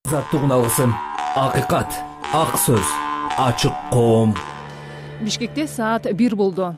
Азаттык алгысым, акыйкат, ак сөз, ачык коом. Бишкекте саат 1 болду.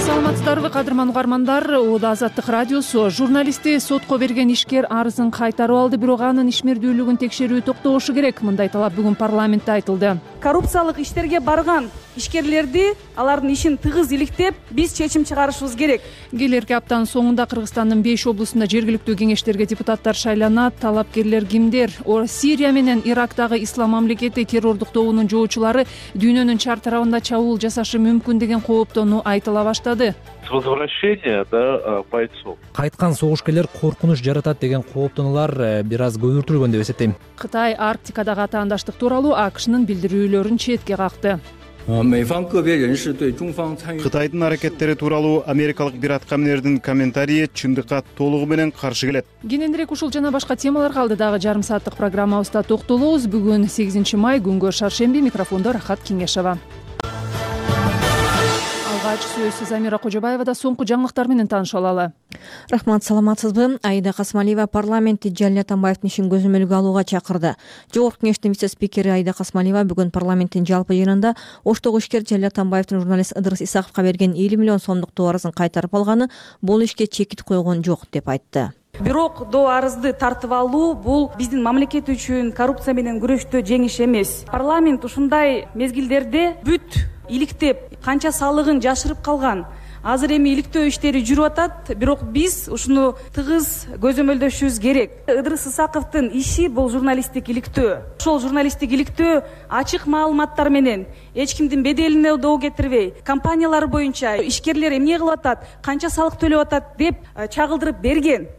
Саламатсыздарбы, кадырман угармандар? Оода Азаттык радиосу. Журналисти сотко берген ишкер арызын кайтарып алды, бирок анын ишмердүүлүгүн текшерүү токтошу керек. Мындай талап бүгүн парламентте айтылды. Коррупциялык иштерге барган ишкерлерди, алардын ишин тыгыз иликтеп, биз чечим чыгарышыбыз керек. Келерки аптанын соңунда Кыргызстандын 5 облусунда жергиликтүү кеңештерге депутаттар шайланат. Талапкерлер кимдер? Сирия менен Ирактагы ислам мамлекети террордук тобунун жоочулары дүйнөнүн чар тарабында чабуул жасашы мүмкүн деген кооптонуу айтыла баштады. Возвращение бойцов. Кайткан согушкерлер коркунуч жаратат деген кооптонуулар бир аз көбүртүлгөн деп эсептейм. Кытай Арктикадагы атаандаштык тууралуу АКШнын билдирүүлөрүн четке какты. Кытайдын аракеттери тууралуу америкалык бир аткаминердин комментарийи чындыкка толугу менен каршы келет. Кененирээк ушул жана башка темаларга алдыдагы жарым сааттык программабызда токтолобуз. Бүгүн 8 май, күнгө шаршемби. Микрофондо Рахат Кеңешова. Алгач сөз Замира Кожобаевада. Соңку жаңылыктар менен тааныша алалы. Рахмат, саламатсызбы? Аида Касмалиева парламентти Жалил Атамбаевдин ишин көзөмөлгө алууга чакырды. Жогорку кеңештин вице-спикери Аида Касмалиева бүгүн парламенттин жалпы жыйынында Оштогу ишкер Жалил Атамбаевдин журналист Ыдырыс Исаковго берген 50 миллион сомдук доо арызын кайтарып алганы бул ишке чекит койгон жок деп айтты. Бирок доо арызды тартып алуу бул биздин мамлекет үчүн коррупция менен күрөштө жеңиш эмес. Парламент ушундай мезгилдерде бүт иликтеп, канча салыгын жашырып калган. Азыр эми иликтөө иштери жүрүп атат, бирок биз ушуну тыгыз көзөмөлдөшүбүз керек. Ыдырыс Исаковдун иши бул журналисттик иликтөө. Ошол журналисттик иликтөө ачык маалыматтар менен, эч кимдин беделине доо кетирбей, компаниялар боюнча ишкерлер эмне кылып атат, канча салык төлөп атат деп чагылдырып берген.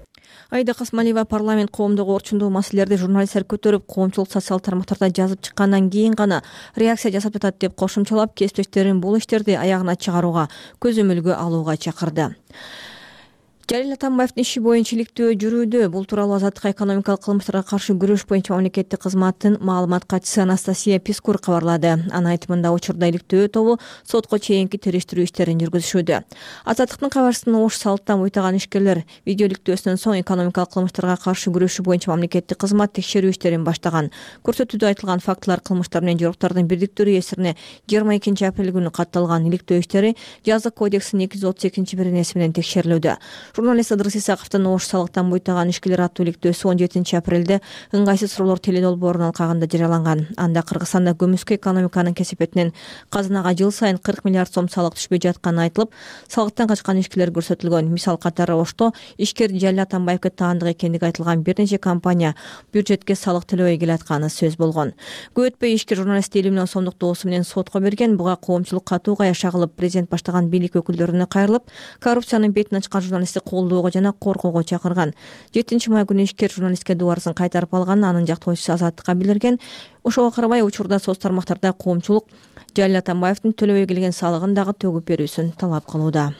Аида Касмалиева парламент коомдогу орчундуу маселелерди журналисттер көтөрүп, коомчулук социалдык тармактарда жазып чыккандан кийин гана реакция жасап жатат деп кошумчалап, кесиптештерин бул иштерди аягына чыгарууга, көзөмөлгө алууга чакырды. Жалил Атамбаевдин иши боюнча иликтөө жүрүүдө. Бул тууралуу Азаттык экономикалык кылмыштарга каршы күрөш боюнча мамлекеттик кызматтын маалымат катчысы Анастасия Пискур кабарлады. Анын айтымында учурда иликтөө тобу сотко чейинки териштирүү иштерин жүргүзүшүүдө. Азаттыктын кабарчысынын Ош салттан буйтаган ишкерлер видео иликтөөсүнөн соң экономикалык кылмыштарга каршы күрөшүү боюнча мамлекеттик кызмат текшерүү иштерин баштаган. Көрсөтүүдө айтылган фактылар кылмыштар менен жоруктардын бирдиктүү эсирине 22 апрель күнү катталган иликтөө иштери Жазык кодексинин 232-беренеси менен текшерилүүдө. Журналист Ыдырыс Исаковдун Ош салыктан буйтаган ишкерлер аттуу иликтөөсү 17 апрелде ыңгайсыз суроолор теледолбоорунун алкагында жарыяланган. Анда Кыргызстанда көмүскө экономиканын кесепетинен казынага жыл сайын 40 миллиард сом салык түшпөй жатканы айтылып, салыктан качкан ишкерлер көрсөтүлгөн. Мисал катары Ошто ишкер Жалил Атамбаевге таандык экендиги айтылган бир нече компания бюджетке салык төлөбөй келатканы сөз болгон. Көп өтпөй ишкер журналистти 50 миллион сомдук доосу менен сотко берген. Буга коомчулук катуу каяша кылып, президент баштаган бийлик өкүлдөрүнө кайрылып, коррупциянын бетин ачкан журналистти колдоого жана коргоого чакырган. 7 май күнү ишкер журналистке доо арызын кайтарып алган. Анын жактоочусу Азаттыкка билдирген. Ошого карабай учурда соц тармактарда коомчулук Жалил Атамбаевдин төлөбөй келген салыгын дагы төгүп берүүсүн талап кылууда.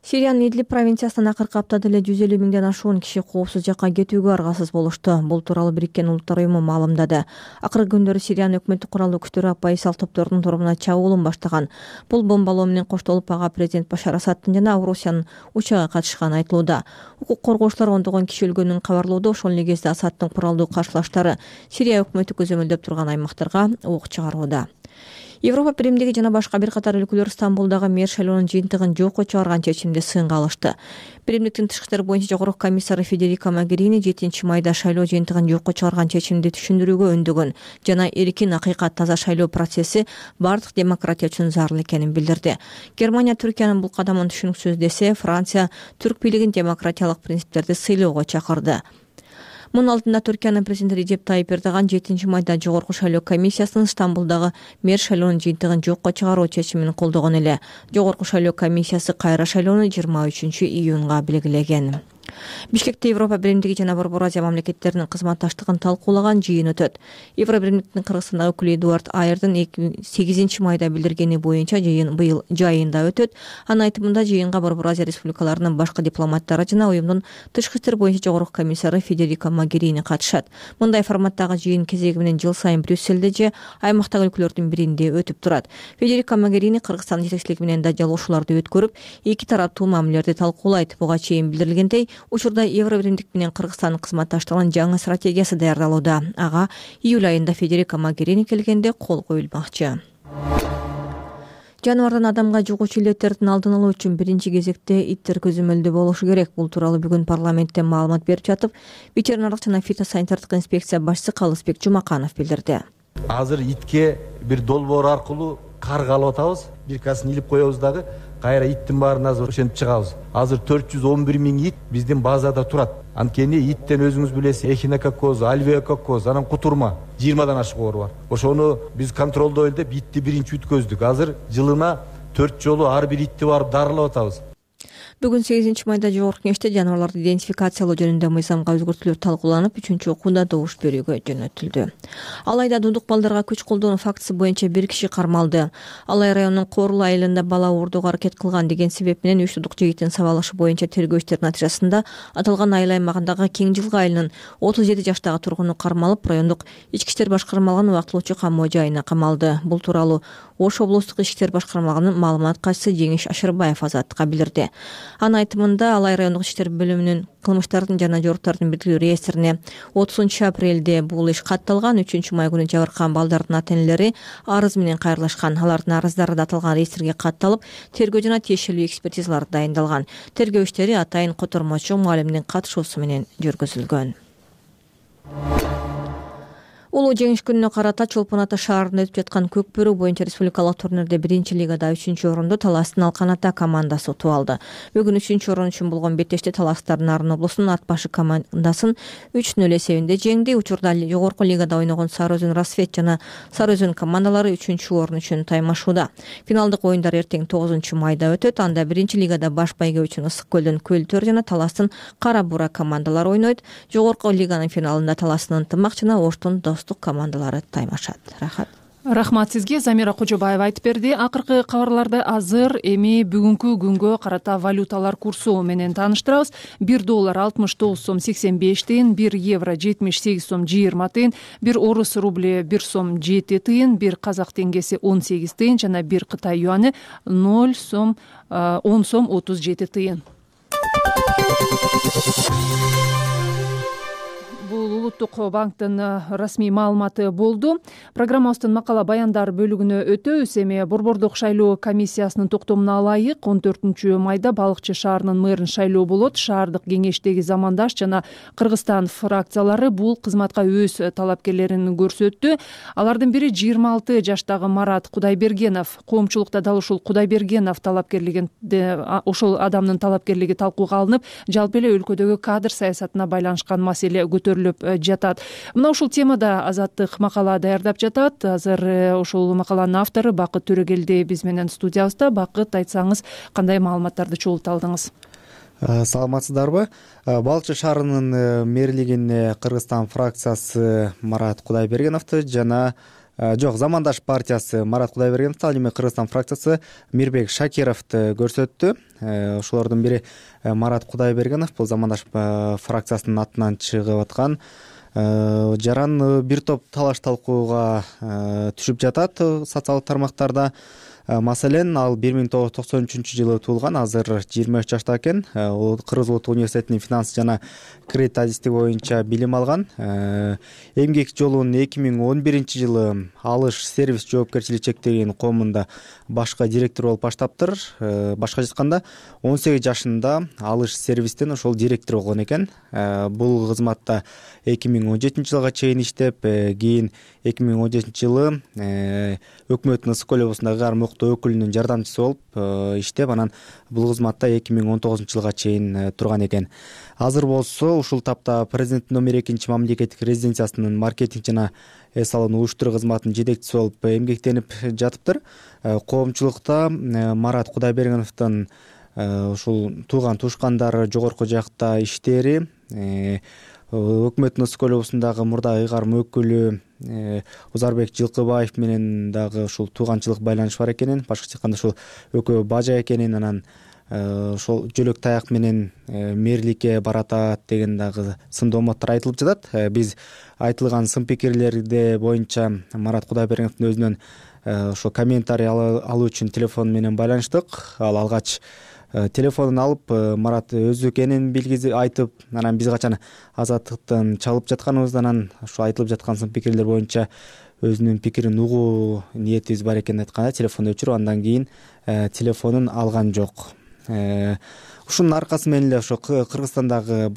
Сириянын Идлиб провинциясынан акыркы аптада эле 150 миңден ашуун киши коопсуз жакка кетүүгө аргасыз болушту. Бул тууралуу Бириккен Улуттар уюму маалымдады. Акыркы күндөрү Сириянын өкмөттүк куралдуу күчтөрү оппозициялык топтордун торабына чабуулун баштаган. Бул бомбалоо менен коштолуп ага президент Башар Асадтын жана Орусиянын учагы катышканы айтылууда. Укук коргоочулар ондогон киши өлгөнүн кабарлоодо. Ошол негизде Асадтын куралдуу каршылаштары Сирия өкмөтү көзөмөлдөп турган аймактарга ок чыгарууда. Европа Биримдиги жана башка бир катар өлкөлөр Стамбулдагы мэр шайлоонун жыйынтыгын жокко чыгарган чечимди сынга алышты. Биримдиктин тышкы иштер боюнча жогорку комиссары Федерика Могерини 7 майда шайлоо жыйынтыгын жокко чыгарган чечимди түшүндүрүүгө өндөгөн жана эркин, акыйкат, таза шайлоо процесси бардык демократия үчүн зарыл экенин билдирди. Германия Түркиянын бул кадамын түшүнүксүз десе, Франция түрк бийлигин демократиялык принциптерди сыйлоого чакырды. Мунун алдында Түркиянын президенти Режеп Тайип Эрдоган 7 майда жогорку шайлоо комиссиясынын Стамбулдагы мэр шайлоонун жыйынтыгын жокко чыгаруу чечимин колдогон эле. Жогорку шайлоо комиссиясы кайра шайлоону 23 июнга белгилеген. Бишкекте Европа биримдиги жана Борбор Азия мамлекеттеринин кызматташтыгын талкуулаган жыйын өтөт. Европа биримдигинин Кыргызстандагы өкүлү Эдуард Айрдын 8 майда билдиргени боюнча жыйын быйыл жайында өтөт. Анын айтымында жыйынга Борбор Азия республикаларынын башкы дипломаттары жана уюмдун тышкы иштер боюнча жогорку комиссары Федерико Могерини катышат. Мындай форматтагы жыйын кезеги менен жыл сайын Брюссельде же аймактагы өлкөлөрдүн биринде өтүп турат. Федерико Могерини Кыргызстандын жетекчилиги менен да жалоошууларды өткөрүп, эки тараптуу мамилелерди талкуулайт. Буга чейин билдирилгендей, учурда Евро биримдик менен Кыргызстандын кызматташтыгынын жаңы стратегиясы даярдалууда. Ага июль айында Федерико Могерини келгенде кол коюлмакчы. Жаныбардан адамга жугуучу илеттердин алдын алуу үчүн биринчи кезекте иттер көзөмөлдө болушу керек. Бул тууралуу бүгүн парламентте маалымат берип жатып, ветеринардык жана фитосанитардык инспекция башчысы Калысбек Жумаканов билдирди. Азыр итке бир долбоор аркылуу каргалып атабыз. Биркасын илип коебуз дагы, кайра иттин баарын азыр ошентип чыгабыз. Азыр 411 000 ит биздин базада турат. Анткени иттен өзүңүз билесиз, эхинококкоз, альвеококкоз, анан кутурма 20дан ашык оор бар. Ошону биз контролдойлу деп итти биринчи өткөздүк. Азыр жылына 4 жолу ар бир итти барып дарылап атабыз. Бүгүн 8 майда жогорку кеңеште жаныбарларды идентификациялоо жөнүндө мыйзамга өзгөртүүлөр талкууланып, 3-окууда добуш берүүгө жөнөтүлдү. Алайда дундук балдарга күч колдонуу фактысы боюнча бир киши кармалды. Алай районунун Корул айылында бала уурдоого аракет кылган деген себеп менен 3 тудук жигиттин сабалышы боюнча тергөө иштеринин натыйжасында аталган айыл аймагындагы Кең Жылгы айылынын 37 жаштагы тургуну кармалып, райондук ички иштер башкармалыгынын убактылуучу камоо жайына камалды. Бул тууралуу Ош облустук ички иштер башкармалыгынын маалымат катчысы Жеңиш Ашырбаев Азаттыкка билдирди. Анын айтымында Алай райондук ички иштер бөлүмүнүн кылмыштардын жана жоруктардын бирдиктүү реестрине 30 апрелде бул иш катталган. 3 май күнү жабыркаган балдардын ата-энелери арыз менен кайрылышкан. Алардын арыздары да аталган реестрге катталып, тергөө жана тиешелүү экспертизалар дайындалган. Тергөө иштери атайын котормочу мугалимдин катышуусу менен жүргүзүлгөн. Улуу жеңиш күнүнө карата Чолпон Ата шаарында өтүп жаткан көк бөрү боюнча республикалык турнирде 1-лигада 3-орунду Таластын Алкан Ата командасы утуп алды. Бүгүн 3-орун үчүн болгон беттеште Таластар Нарын облусунун ат башы командасын 3-0 эсебинде жеңди. Учурда жогорку лигада ойногон Сары Өзөн Расвет жана Сары Өзөн командалары 3-орун үчүн таймашууда. Финалдык оюндар эртең 9 майда өтөт. Анда 1-лигада Баш Байгө үчүн Ысык көлдөн Көлтөр жана Таластын Кара Бура командалары ойнойт. Жогорку лиганын финалында Таластын Ынтымак жана Оштун командалары таймашат. Рахмат сизге. Замира Кожобаева айтып берди. Акыркы кабарларды азыр эми бүгүнкү күнгө карата валюталар курсу менен тааныштырабыз. 1 доллар 69 сом 85 тыйын, 1 евро 78 сом 20 тыйын, 1 орус рубли 1 сом 7 тыйын, 1 казак теңгеси 18 тыйын жана 1 Кытай юаны 10 сом 37 тыйын. Бул Улуттук банктын расмий маалыматы болду. Программабыздын макала баяндар бөлүгүнө өтөбүз. Эми Борбордук шайлоо комиссиясынын токтомуна ылайык 14 майда Балыкчы шаарынын мэрин шайлоо болот. Шаардык кеңештеги замандаш жана Кыргызстан фракциялары бул кызматка өз талапкерлерин көрсөттү. Алардын бири 26 жаштагы Марат Кудайбергенов. Коомчулукта дал ушул Кудайбергенов ошол адамдын талапкерлиги талкууга алынып, жалпы эле өлкөдөгү кадр саясатына байланышкан маселе көтөрүлүп жатат. Мына ушул темада Азаттык макала даярдап жатат. Азыр ушул макаланын автору Бакыт Төрөгелди биз менен студиябызда. Бакыт, айтсаңыз, кандай маалыматтарды чогултуп алдыңыз? Саламатсыздарбы? Балыкчы шаарынын мэрлигине Кыргызстан фракциясы Марат Кудайбергеновду жана Замандаш партиясы Марат Кудайбергеновду, ал эми Кыргызстан фракциясы Мирбек Шакировду көрсөттү. Ошолордун бири Марат Кудайбергенов, бул Замандаш фракциясынын атынан чыгып аткан. Жаран бир топ талаш талкууга түшүп жатат социалдык тармактарда. Маселен, ал 1993-жылы туулган, азыр 23 жашта экен. Кыргыз Улуттук университетинин финанс жана кредит адистиги боюнча билим алган. Эмгек жолун 2011-жылы Алыш сервис жоопкерчилиги чектелген коомунда башка директор болуп баштаптыр. Башка айтканда 18 жашында Алыш сервистен ошол директор болгон экен. Бул кызматта 2017-жылга чейин иштеп, кийин 2017-жылы өкмөттүн Ысык көл облусундагы Карым Октоо өкүлүнүн жардамчысы болуп иштеп, анан бул кызматта 2019-жылга чейин турган экен. Азыр болсо ушул тапта президенттин номер 2 мамлекеттик резиденциясынын маркетинг жана эс алуу уюштуруу кызматынын жетекчиси болуп эмгектенип жатыптыр. Коомчулукта Марат Кудайбергеновдун ушул тууган туушкандары жогорку жакта иштери, өкмөттүн Ысык көл облусундагы мурдагы ыйгарым өкүлү Узарбек Жылкыбаев менен дагы ушул тууганчылык байланыш бар экенин, башкача айтканда ушул экөө бажа экенин, анан ошол жөлөк таяк менен мэрликке баратат деген дагы сымдооматтар айтылып жатат. Биз айтылган сын пикирлерде боюнча Марат Кудайбергеновдун өзүнөн ошо комментарий алуу үчүн телефон менен байланыштык. Ал алгач телефонун алып Марат өзү экенин айтып, анан биз качан Азаттыктан чалып жатканыбызда анан ошо айтылып жаткан сын пикирлер боюнча өзүнүн пикирин угуу ниетибиз бар экенин айтканда телефонду өчүрүп, андан кийин телефонун алган жок. Ушунун аркасы менен эле ошо Кыргызстандагы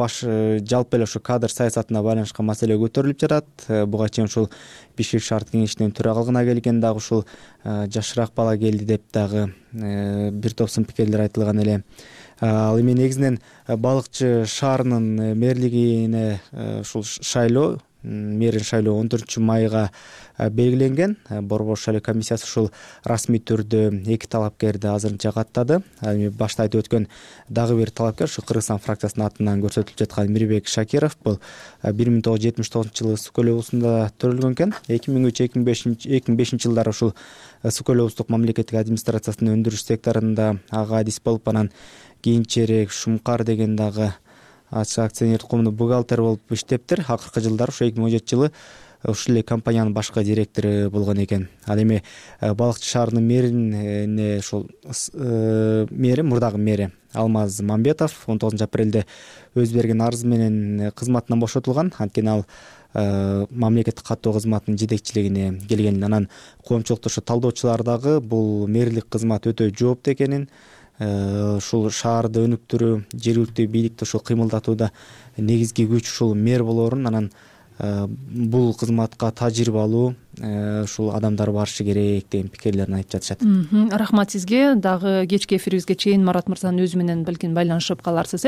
жалпы эле ошо кадр саясатына байланышкан маселе көтөрүлүп жатат. Буга чейин ушул Бишкек шаардык кеңешинин төрагалыгына келген дагы ушул жашыраак бала келди деп дагы бир топ сын пикирлер айтылган эле. Ал эми негизинен Балыкчы шаарынын мэрлигине ушул шайлоо, мэрин шайлоо 14 майга белгиленген. Борбор шайлоо комиссиясы ушул расмий түрдө 2 талапкерди азырынча каттады. Ал эми башта айтып өткөн дагы бир талапкер ушу Кыргызстан фракциясынын атынан көрсөтүлүп жаткан Мирбек Шакиров. Бул 1979-жылы Ысык көл облусунда төрөлгөн экен. 2003-2005 жылдары ушул Ысык көл облустук мамлекеттик администрациясынын өндүрүш секторунда ага адис болуп, анан кийинчерээк Шумкар деген дагы акционердик коомдун бухгалтери болуп иштептир. Акыркы жылдары ошо 2017 жылы ушул эле компаниянын башкы директору болгон экен. Ал эми Балыкчы шаарынын мэрине ушул мэри, мурдагы мэри Алмаз Мамбетов 19 апрелде өз берген арызы менен кызматынан бошотулган. Анткени ал мамлекеттик каттоо кызматынын жетекчилигине келген. Анан коомчулукта ошо талдоочулар дагы бул мэрлик кызмат өтө жооптуу экенин, ушул шаарды өнүктүрүү, жергиликтүү бийликти ушул кыймылдатууда негизги күч ушул мэр болоорун, анан бул кызматка тажрыйбалуу ушул адамдар барышы керек деген пикирлерин айтып жатышат. Рахмат сизге. Дагы кечки эфирибизге чейин Марат мырзанын өзү менен балким байланышып каларсыз.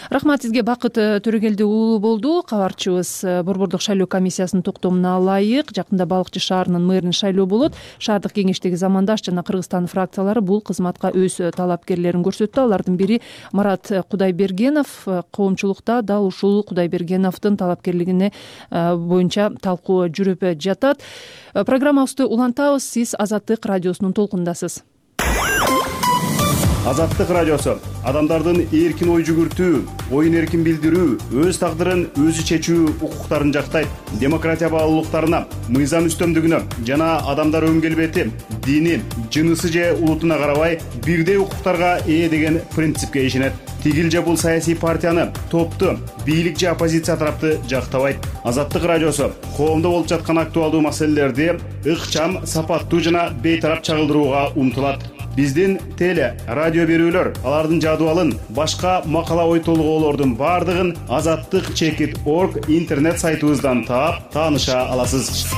Рахмат сизге. Бакыт Төрөгелди уулу болду кабарчыбыз. Борбордук шайлоо комиссиясынын токтомуна ылайык жакында Балыкчы шаарынын мэрин шайлоо болот. Шаардык кеңештеги замандаш жана Кыргызстан фракциялары бул кызматка өз талапкерлерин көрсөттү. Алардын бири Марат Кудайбергенов. Коомчулукта дал ушул Кудайбергеновдун талапкерлигине боюнча талкуу жүрүп жатат. Программабызды улантабыз. Сиз Азаттык радиосунун толкундасыз. Азаттык радиосу адамдардын эркин ой жүгүртүү, оюн эркин билдирүү, өз тагдырын өзү чечүү укуктарын жактайт. Демократия баалуулуктарына, мыйзам үстөмдүгүнө жана адамдар өң келбети, дини, жынысы же улутуна карабай бирдей укуктарга ээ деген принципке ишенет. Тигил же бул саясий партияны, топту, бийлик же оппозиция тарапты жактабайт. Азаттык радиосу коомдо болуп жаткан актуалдуу маселелерди ыкчам, сапаттуу жана бейтарап чагылдырууга умтулат. Биздин теле, радио берүүлөр, алардын жадыбалын, башка макала ой толгоолордун бардыгын azattik.org интернет сайтыбыздан таап, тааныша аласыз.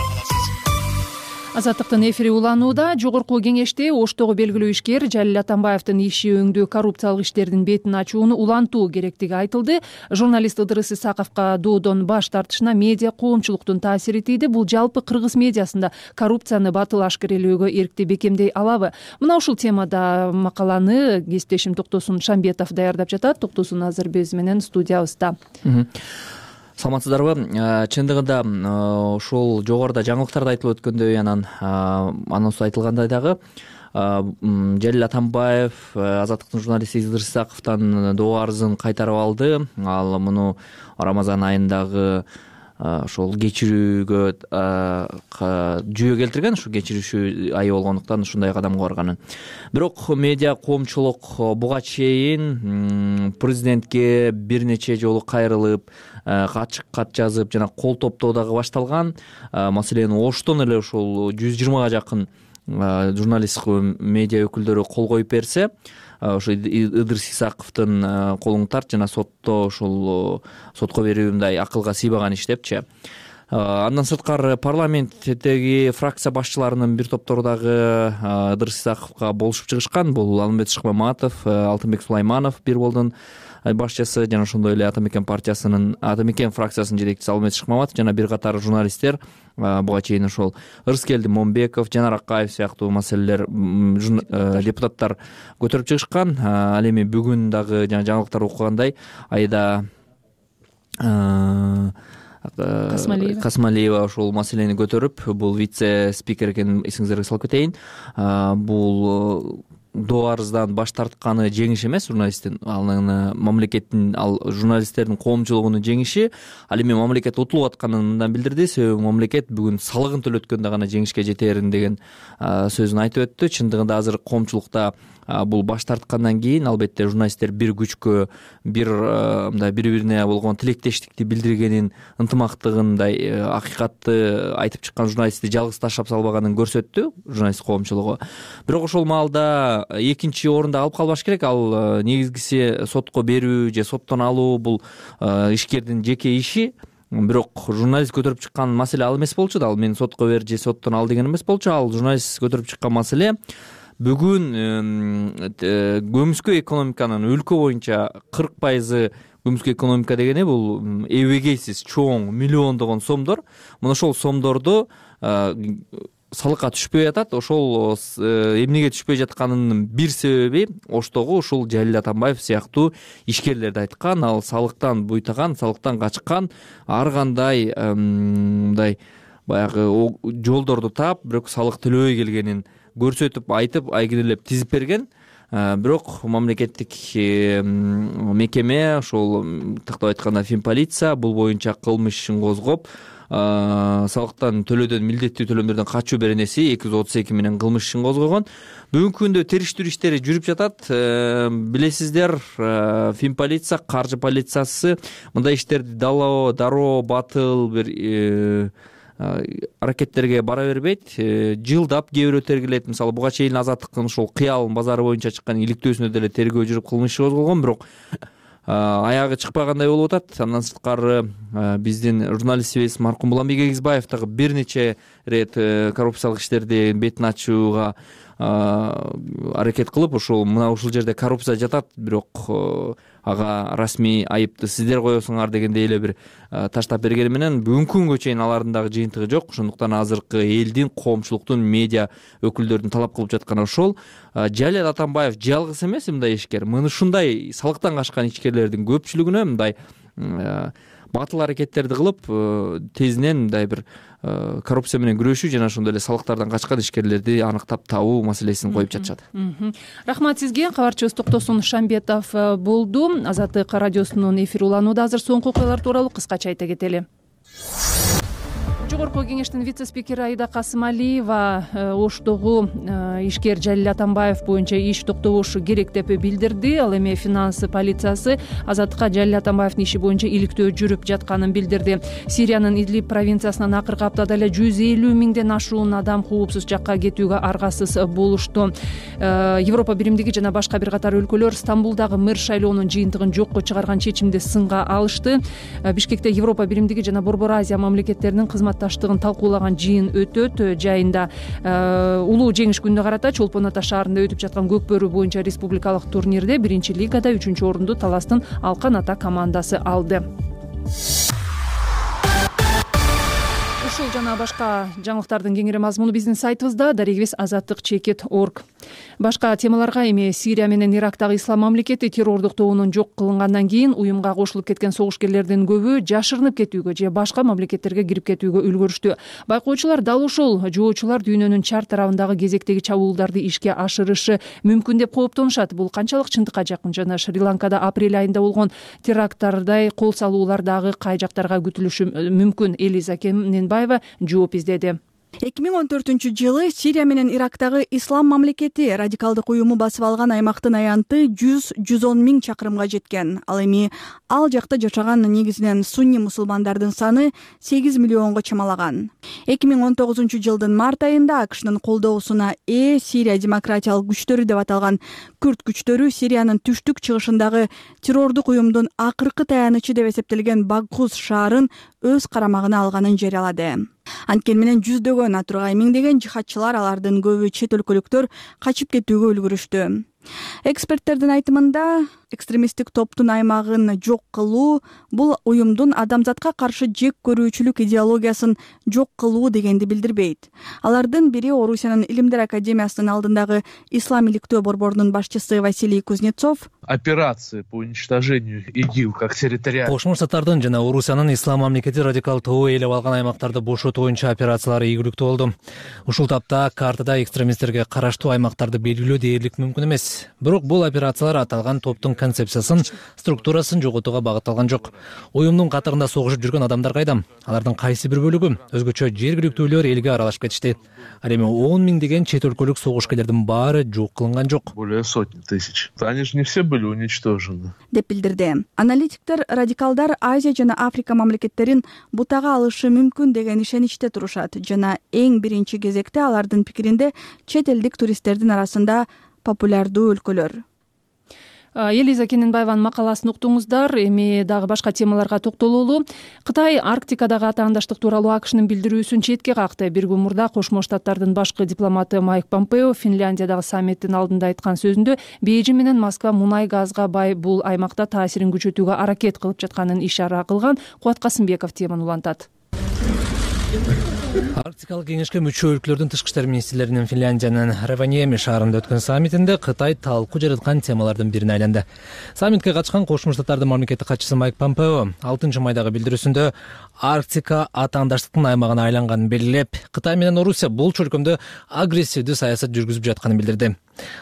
Азаттыктын эфири уланууда. Жогорку кеңеште Оштогу белгилүү ишкер Жалил Атамбаевдин иши өңдүү коррупциялык иштердин бетин ачууну улантуу керектиги айтылды. Журналист Ыдырыс Исаковго доодон баш тартышына медиа коомчулуктун таасири тийди. Бул жалпы кыргыз медиасында коррупцияны батыл ашкерелөөгө эркти бекемдей алабы? Мына ушул темада макаланы кесиптешим Токтосун Шамбетов даярдап жатат. Токтосун азыр биз менен студиябызда. Саламатсыздарбы? Чындыгында ушул жогоруда жаңылыктарда айтылып өткөндөй, анан анонс айтылгандай дагы Жалил Атамбаев Азаттыктын журналисти Ыдырыс Исаковдон доо арызын кайтарып алды. Ал муну Рамазан айындагы ошол кечирүүгө жүйө келтирген, ушу кечирүүчү айы болгондуктан ушундай кадамга барганын. Бирок медиа коомчулук буга чейин президентке бир нече жолу кайрылып, ачык кат жазып жана кол топтоо дагы башталган. Маселен, Оштон эле ушул 120га жакын журналисттик медиа өкүлдөрү кол коюп берсе, ошо Ыдырыс Исаковдун колуң тарт жана сотто ушул сотко берүү мындай акылга сыйбаган иш депчи. Андан сырткары парламенттеги фракция башчыларынын бир топтору дагы Ыдырыс Исаковго болушуп чыгышкан. Бул Алмамбет Шыкмаматов, Алтынбек Сулайманов бир болдун башчысы жана ошондой эле Ата Мекен партиясынын Ата Мекен фракциясынын жетекчиси Алмамбет Шыкмаматов жана бир катар журналисттер буга чейин ошол Ырыскелди Момбеков, Жанар Акаев сыяктуу маселелер депутаттар көтөрүп чыгышкан. Ал эми бүгүн дагы жана жаңылыктар окугандай Айда Касмалиева ошол маселени көтөрүп, бул вице спикер экенин эсиңиздерге салып кетейин. Бул доо арыздан баш тартканы жеңиш эмес журналисттин, анын мамлекеттин, ал журналисттердин коомчулугунун жеңиши. Ал эми мамлекет утулуп атканын мындан билдирди, себеби мамлекет бүгүн салыгын төлөткөндө гана жеңишке жетерин деген сөзүн айтып өттү. Чындыгында азыр коомчулукта бул баш тарткандан кийин албетте журналисттер бир күчкө, мындай бири-бирине болгон тилектештикти билдиргенин, ынтымактыгын, мындай акыйкатты айтып чыккан журналистти жалгыз таштап салбаганын көрсөттү журналист коомчулугу. Бирок ошол маалда экинчи орунда алып калбаш керек. Ал негизгиси сотко берүү же соттон алуу, бул ишкердин жеке иши. Бирок журналист көтөрүп чыккан маселе ал эмес болчу да. Ал мен сотко бер же соттон ал деген эмес болчу. Ал журналист көтөрүп чыккан маселе бүгүн көмүскө экономиканын өлкө боюнча 40% көмүскө экономика дегени бул эбегейсиз чоң миллиондогон сомдор. Мына ошол сомдорду салыкка түшпөй атат. Ошол эмнеге түшпөй жатканынын бир себеби оштогу ушул Жалил Атамбаев сыяктуу ишкерлерди айткан. Ал салыктан буйтаган, салыктан качкан, ар кандай мындай баягы жолдорду таап, бирок салык төлөбөй келгенин көрсөтүп, айтып, айгинелеп тизип берген. Бирок мамлекеттик мекеме, ошол тактап айтканда Финполиция бул боюнча кылмыш ишин козгоп, салыктан төлөөдөн, милдеттүү төлөмдөрдөн качуу беренеси 232 менен кылмыш ишин козгогон. Бүгүнкү күндө териштирүү иштери жүрүп жатат. Билесиздер, Финполиция, каржы полициясы мындай иштерди дароо батыл бир аракеттерге бара бербейт. Жылдап кээ бирөө тергелет. Мисалы буга чейин Азаттыктын ошол Кыял базары боюнча чыккан иликтөөсүнө деле тергөө жүрүп кылмыш иши козголгон, бирок аягы чыкпагандай болуп атат. Андан сырткары биздин журналистибиз маркум Буланбек Эгизбаев дагы бир нече рет коррупциялык иштерди бетин ачууга аракет кылып, ушул жерде коррупция жатат, бирок ага расмий айыпты сиздер коесуңар дегендей эле бир таштап бергени менен бүгүнкү күнгө чейин алардын дагы жыйынтыгы жок. Ошондуктан азыркы элдин, коомчулуктун, медиа өкүлдөрдүн талап кылып жатканы ошол. Жалил Атамбаев жалгыз эмес мындай ишкер. Мына ушундай салыктан качкан ишкерлердин көпчүлүгүнө мындай батыл аракеттерди кылып, тезинен мындай бир коррупция менен күрөшүү жана ошондой эле салыктардан качкан ишкерлерди аныктап табуу маселесин коюп жатышат. Рахмат сизге. Кабарчыбыз Токтосун Шамбетов болду. Азаттык радиосунун эфири уланууда. Азыр соңку окуялар тууралуу кыскача айта кетели. Жогорку кеңештин вице-спикери Айда Касымалиева Оштогу ишкер Жалил Атамбаев боюнча иш токтобошу керек деп билдирди. Ал эми финанс полициясы Азаттыкка Жалил Атамбаевдин иши боюнча иликтөө жүрүп жатканын билдирди. Сириянын Идлиб провинциясынан акыркы аптада эле 150 миңден ашуун адам коопсуз жакка кетүүгө аргасыз болушту. Европа биримдиги жана башка бир катар өлкөлөр Стамбулдагы мэр шайлоонун жыйынтыгын жокко чыгарган чечимди сынга алышты. Бишкекте Европа биримдиги жана Борбор Азия мамлекеттеринин кызматташтыгын талкуулаган жыйын өтөт. Жайында улуу жеңиш күнүнө карата Чолпон Ата шаарында өтүп жаткан Көкбөрү боюнча республикалык турнирде 1-лигада 3-орунду Таластын Алкан Ата командасы алды. Ушул жана башка жаңылыктардын кеңири мазмуну биздин сайтыбызда darigibizazаттык.org. Башка темаларга эми Сирия менен Ирактагы ислам мамлекети террордук тобунун жок кылынгандан кийин уюмга кошулуп кеткен согушкерлердин көбү жашырынып кетүүгө же башка мамлекеттерге кирип кетүүгө үлгүрүштү. Байкоочулар дал ушул жоочулар дүйнөнүн чар тарабындагы кезектеги чабуулдарды ишке ашырышы мүмкүн деп кооптонушат. Бул канчалык чындыкка жакын жана Шри-Ланкада апрель айында болгон теракттардай кол салуулар дагы кай жактарга күтүлүшү мүмкүн? Элиза Кененбаева жооп издеди. 2014-жылы Сирия менен Ирактагы ислам мамлекети радикалдык уюму басып алган аймактын аянты 100-110 миң чакырымга жеткен. Ал эми ал жакта жашаган негизинен сунни мусулмандардын саны 8 миллионго чамалаган. 2019-жылдын март айында АКШнын колдоосуна Сирия демократиялык күчтөрү деп аталган күрд күчтөрү Сириянын түштүк чыгышындагы террордук уюмдун акыркы таянычы деп эсептелген Багхуз шаарын өз карамагына алганын жарыялады. Анткени менен жүздөгөн, атургай миңдеген жихадчылар, алардын көбү чет өлкөлүктөр качып кетүүгө үлгүрүштү. Эксперттердин айтымында, экстремисттик топтун аймагын жок кылуу бул уюмдун адамзатка каршы жек көрүүчүлүк идеологиясын жок кылуу дегенди билдирбейт. Алардын бири Орусиянын Илимдер академиясынын алдындагы ислам иликтөө борборунун башчысы Василий Кузнецов. Операции по уничтожению ИГИЛ как территориальный. Кошмо Штаттардын жана Орусиянын ислам мамлекети радикал тобу ээлеп алган аймактарды бошотуу боюнча операциялары ийгиликтүү болду. Ушул тапта картада экстремисттерге караштуу аймактарды белгилөө дээрлик мүмкүн эмес. Бирок бул операциялар аталган топтун концепциясын, структурасын жоготууга багытталган жок. Уюмдун катарында согушуп жүргөн адамдар кайда? Алардын кайсы бир бөлүгү өзгөчө жергиликтүүлөр элге аралашып кетишти. Ал эми 10 миңдеген чет өлкөлүк согушкерлердин баары жок кылынган жок. Более сотни тысяч. Они же не все были уничтожены. Деп билдирди. Аналитиктер радикалдар Азия жана Африка мамлекеттерин бутага алышы мүмкүн деген ишеничте турушат жана эң биринчи кезекте алардын пикиринде чет элдик туристтердин арасында популярдуу өлкөлөр. Элиза Кененбаеванын макаласын уктуңуздар. Эми дагы башка темаларга токтололу. Кытай Арктикадагы атаандаштык тууралуу АКШнын билдирүүсүн четке какты. Бир күн мурда Кошмо Штаттардын башкы дипломаты Майк Помпео Финляндиядагы саммиттин алдында айткан сөзүндө Бейжиң менен Москва мунай газга бай бул аймакта таасирин күчөтүүгө аракет кылып жатканын ишара кылган. Кубат Касымбеков теманы улантат. Арктикалык кеңешке мүчө өлкөлөрдүн тышкы иштер министрлеринин Финляндиянын Раваньеми шаарында өткөн саммитинде Кытай талкуу жараткан темалардын бирине айланды. Саммитке катышкан Кошмо Штаттардын мамлекеттик катчысы Майк Помпео 6-майдагы билдирүүсүндө Арктика атаандаштыктын аймагына айланганын белгилеп, Кытай менен Орусия бул чөлкөмдө агрессивдүү саясат жүргүзүп жатканын билдирди.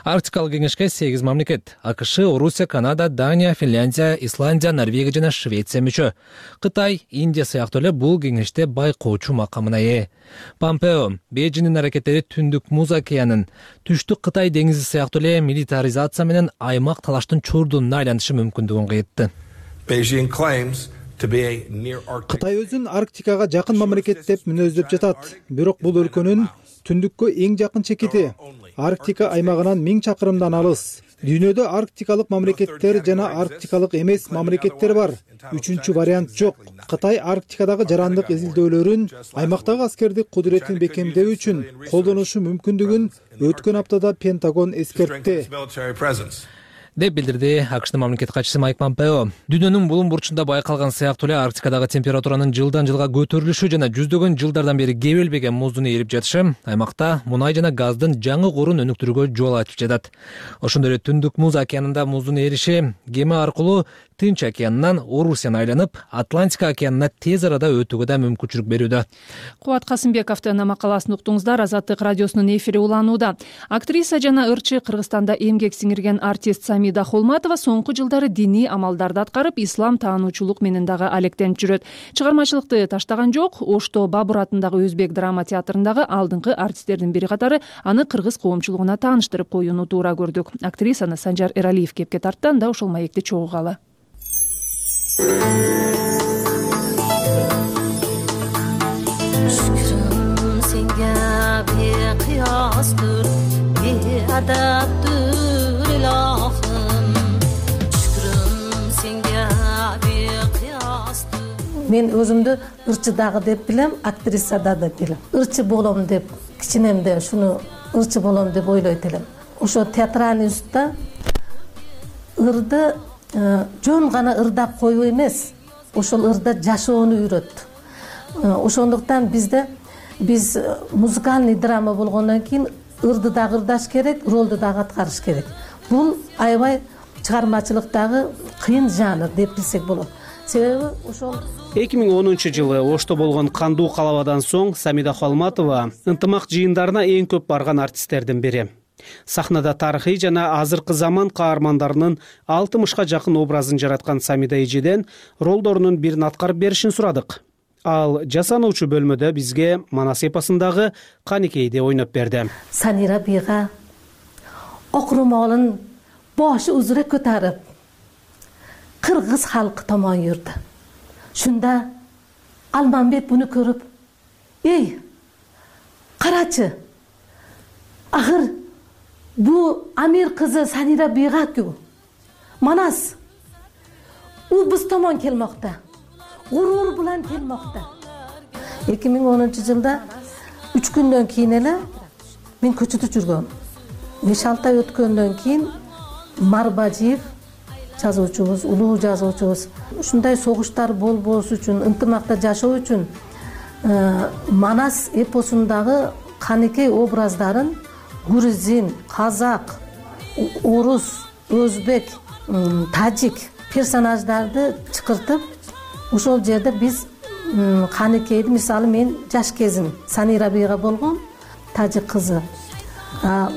Арктикалык кеңешке 8 мамлекет — АКШ, Орусия, Канада, Дания, Финляндия, Исландия, Норвегия жана Швеция мүчө. Кытай, Индия сыяктуу эле бул кеңеште байкоочу макамына ээ. Помпео Бейжиңдин аракеттери Түндүк Муз океанын, Түштүк Кытай деңизи сыяктуу эле милитаризация менен аймак талаштын чордунуна айланышы мүмкүндүгүн кыйтты. Кытай өзүн Арктикага жакын мамлекет деп мүнөздөп жатат. Бирок бул өлкөнүн түндүккө эң жакын чекити. Арктика аймагынан 1000 чакырымдан алыс. Дүйнөдө арктикалык мамлекеттер жана арктикалык эмес мамлекеттер бар. Үчүнчү вариант жок. Кытай Арктикадагы жарандык изилдөөлөрүн, аймактагы аскердик кудуреттин бекемдөө үчүн колдонушу мүмкүндүгүн өткөн аптада Пентагон эскертти. Деп билдирди АКШтын мамлекеттик катчысы Майк Помпео. Дүйнөнүн булуң бурчунда байкалган сыяктуу эле Арктикадагы температуранын жылдан жылга көтөрүлүшү жана жүздөгөн жылдардан бери кебелбеген муздун эрип жатышы аймакта мунай жана газдын жаңы корун өнүктүрүүгө жол ачып жатат. Ошондой эле Түндүк Муз океанында муздун эриши кеме аркылуу Тынч океанынан Орусияны айланып, Атлантика океанына тез арада өтүүгө да мүмкүнчүлүк берүүдө. Кубат Касымбековдун макаласын уктуңуздар. Азаттык радиосунун эфири уланууда. Актриса жана ырчы Кыргызстанда эмгек сиңирген артист Самида Холматова соңку жылдары диний амалдарды аткарып, ислам таануучулук менен дагы алектенип жүрөт. Чыгармачылыкты таштаган жок. Ошто Бабур атындагы өзбек драма театрындагы алдыңкы артисттердин бири катары аны кыргыз коомчулугуна тааныштырып коюуну туура көрдүк. Актрисаны Санжар Эралиев кепке тартты. Анда ошол маекти чогугалы. Şükrüm senge beqiyastır, beadaptır ilahım. Şükrüm senge beqiyastır. Men özümdü ırçıdagı dep bilem, aktrisada da bilem. Irçı bolom dep, kiçinemde şunu ırçı bolom dep oyloyt elem. Oşo teatralный ustda ырды жөн гана ырдап коюу эмес, ошол ырда жашоону үйрөттү. Ошондуктан биз музыкальный драма болгондон кийин ырды дагы ырдаш керек, ролду дагы аткарыш керек. Бул аябай чыгармачылыктагы кыйын жанр деп билсек болот. Себеби ошол 2010-жылы Ошто болгон кандуу калабадан соң Самида Холматова ынтымак жыйындарына эң көп барган артисттердин бири. Сахнада тарыхый жана азыркы заман каармандарынын 60га жакын образын жараткан Самида эжеден ролдорунун бирин аткарып беришин сурадык. Ал жасануучу бөлмөдө бизге Манас эпосундагы Каникейди ойноп берди. Санира бийга окурмолун бошу узура көтөрүп кыргыз халкы томон жүрдү. Шунда Алманбет буну көрүп: "Эй, карачы, ахыр бу Амир кызы Санира бийга-ку. Манас, у биз томон келмокта. гуруур менен келмокто. 2010-жылда 3 күндөн кийин эле мен көчөдө жүргөм. 5-6 ай өткөндөн кийин Марбажиев жазуучубуз, улуу жазуучубуз ушундай согуштар болбош үчүн, ынтымакта жашоо үчүн Манас эпосундагы канекей образдарын грузин, казак, орус, өзбек, тажик персонаждарды чакыртып, ошол жерде биз канекейди, мисалы мен жаш кезим Санира бийга болгон тажик кызы,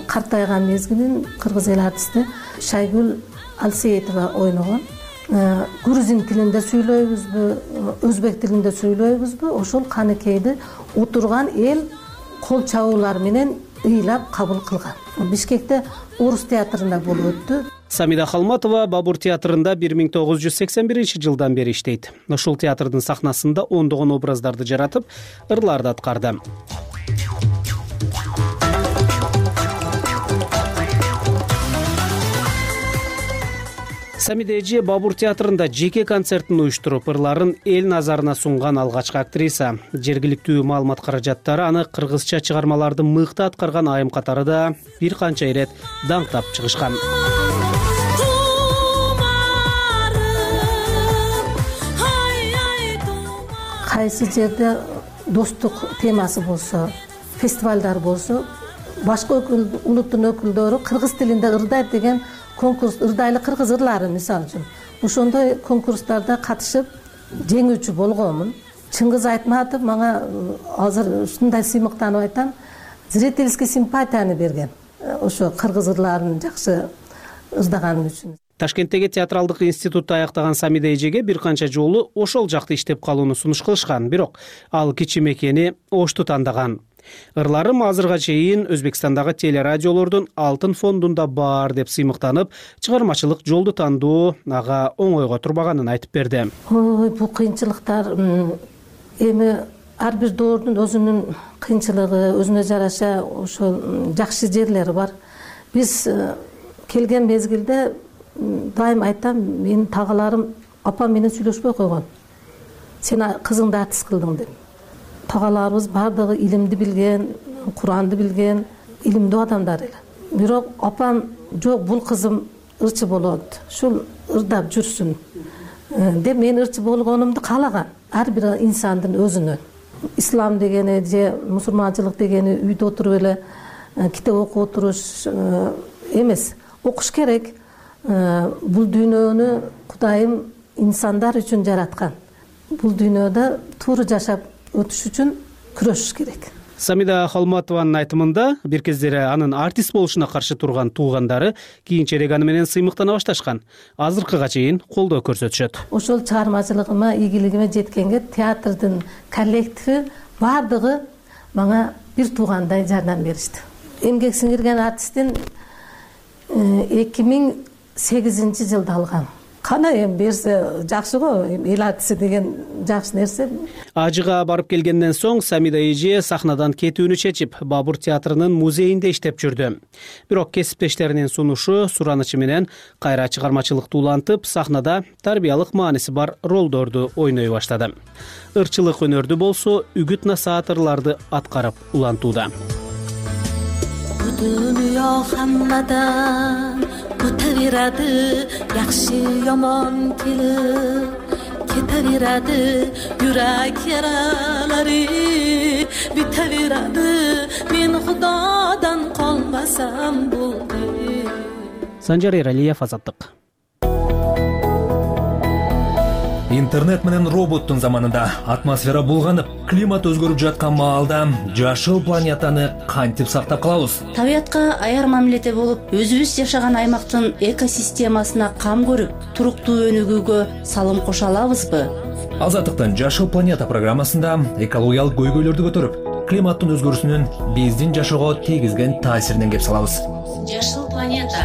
картайган мезгилин кыргыз эл артисти Шайгүл Алсеетова ойногон. Грузин тилинде сүйлөйбүзбү, өзбек тилинде сүйлөйбүзбү, ошол канекейди отурган эл кол чабуулар менен ыйлап кабыл кылган. Бишкекте Орус театрында болуп өттү. Самида Холматова Бабур театрында 1981-жылдан бери иштейт. Ушул театрдын сахнасында ондогон образдарды жаратып, ырларды аткарды. Самида эже Бабур театрында жеке концертин уюштуруп, ырларын эл назарына сунган алгачкы актриса. Жергиликтүү маалымат каражаттары аны кыргызча чыгармаларды мыкты аткарган айым катары да бир канча ирет даңктап чыгышкан. Кайсы жерде достук темасы болсо, фестивалдар болсо, башка улуттун өкүлдөрү кыргыз тилинде ырдайт деген конкурс, ырдайлы кыргыз ырлары мисалы үчүн. Ошондой конкурстарда катышып жеңүүчү болгонмун. Чыңгыз Айтматов мага азыр ушундай сыймыктанып айтам, зрительский симпатияны берген. Ошо кыргыз ырларын жакшы ырдаганым үчүн. Ташкенттеги театралдык институтты аяктаган Самида эжеге бир канча жолу ошол жакта иштеп калууну сунуш кылышкан, бирок ал кичим экени Ошту тандаган. Ырларым азырга чейин Өзбекстандагы телерадиолордун алтын фондунда бар деп сыймыктанып, чыгармачылык жолду тандоо ага оңойго турбаганын айтып берди. Ой, бул кыйынчылыктар эми ар бир доордун өзүнүн кыйынчылыгы, өзүнө жараша ошол жакшы жерлери бар. Биз келген мезгилде дайым айтам, менин тагаларым апам менен сүйлөшпөй койгон. Сен кызыңды артист кылдың деп. Тагаларыбыз бардыгы илимди билген, Куранды билген, илимдүү адамдар эле. Бирок апам жок, бул кызым ырчы болот, ушул ырдап жүрсүн деп мен ырчы болгонумду каалаган. Ар бир инсандын өзүнө. Ислам дегени же мусулманчылык дегени үйдө отуруп эле китеп окуп отуруш эмес. Окуш керек. Бул дүйнөнү Кудайым инсандар үчүн жараткан. Бул дүйнөдө туура жашап өтүш үчүн күрөшүш керек. Самида Холматованын айтымында бир кездери анын артист болушуна каршы турган туугандары кийинчерээк аны менен сыймыктана башташкан. Азыркыга чейин колдоо көрсөтүшөт. Ошол чыгармачылыгыма, ийгилигиме жеткенге театрдын коллективи бардыгы мага бир туугандай жардам беришти. Эмгек сиңирген артисттин 2008-жылда алгам. Кана эми берсе жакшы го, эл артисти деген жакшы нерсе. Ажыга барып келгенден соң Самида эже сахнадан кетүүнү чечип, Бабур театрынын музейинде иштеп жүрдү. Бирок кесиптештеринин сунушу, суранычы менен кайра чыгармачылыкты улантып, сахнада тарбиялык мааниси бар ролдорду ойной баштады. Ырчылык өнөрдү болсо, үгүт насаат ырларды аткарып улантууда. Dünya hammadan o'taveradi, yaxshi yomon kelib ketaveradi, yurak yaralari bitaveradi, men Xudodan qolmasam bo'ldi. Sanjar Eraliyev, Азаттык. Интернет менен роботтун заманында атмосфера булганып, климат өзгөрүп жаткан маалда жашыл планетаны кантип сактап калабыз? Табиятка аяр мамиледе болуп, өзүбүз жашаган аймактын экосистемасына кам көрүп, туруктуу өнүгүүгө салым кошо алабызбы? Азаттыктын Жашыл планета программасында экологиялык көйгөйлөрдү көтөрүп, климаттын өзгөрүүсүнүн биздин жашоого тийгизген таасиринен кеп салабыз. Жашыл планета.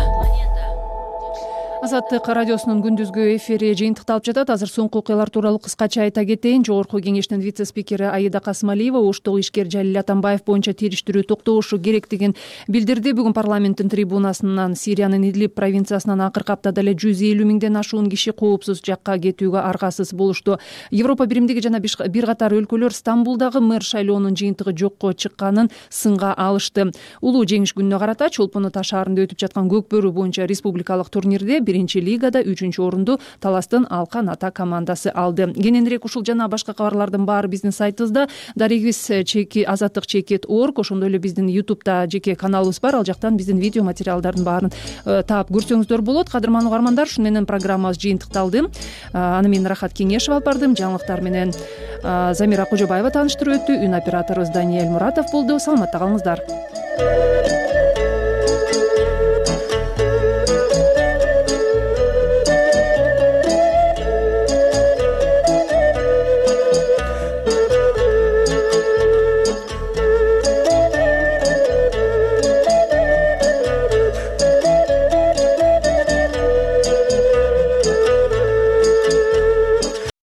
Азаттык радиосунун күндүзгү эфири жыйынтыкталып жатат. Азыр соңку окуялар тууралуу кыскача айта кетейин. Жогорку кеңештин вице спикери Аида Касымалиева Оштогу ишкер Жалил Атамбаев боюнча териштирүү токтошу керектигин билдирди. Бүгүн парламенттин трибунасынан Сириянын Идлиб провинциясынан акыркы аптада эле 150 миңден ашуун киши коопсуз жакка кетүүгө аргасыз болушту. Европа биримдиги жана бир катар өлкөлөр Стамбулдагы мэр шайлоонун жыйынтыгы жокко чыкканын сынга алышты. Улуу жеңиш күнүнө карата Чолпон Ата шаарында өтүп жаткан көк бөрү боюнча республикалык турнирде биринчи лигада 3-чү орунду Таластын Алкан Ата командасы алды. Кененирээк ушул жана башка кабарлардын баары биздин сайтыбызда Azattik.org, ошондой эле биздин YouTube'да жеке каналыбыз бар. Ал жактан биздин видео материалдардын баарын таап көрсөңүздөр болот. Кадырман угармандар, ушун менен программабыз жыйынтыкталды. Аны мен Рахат Кеңешева алып бардым. Жаңылыктар менен Замира Кожобаева тааныштырып өттү. Үн операторубуз Даниэль Муратов болду. Саламатта калыңыздар.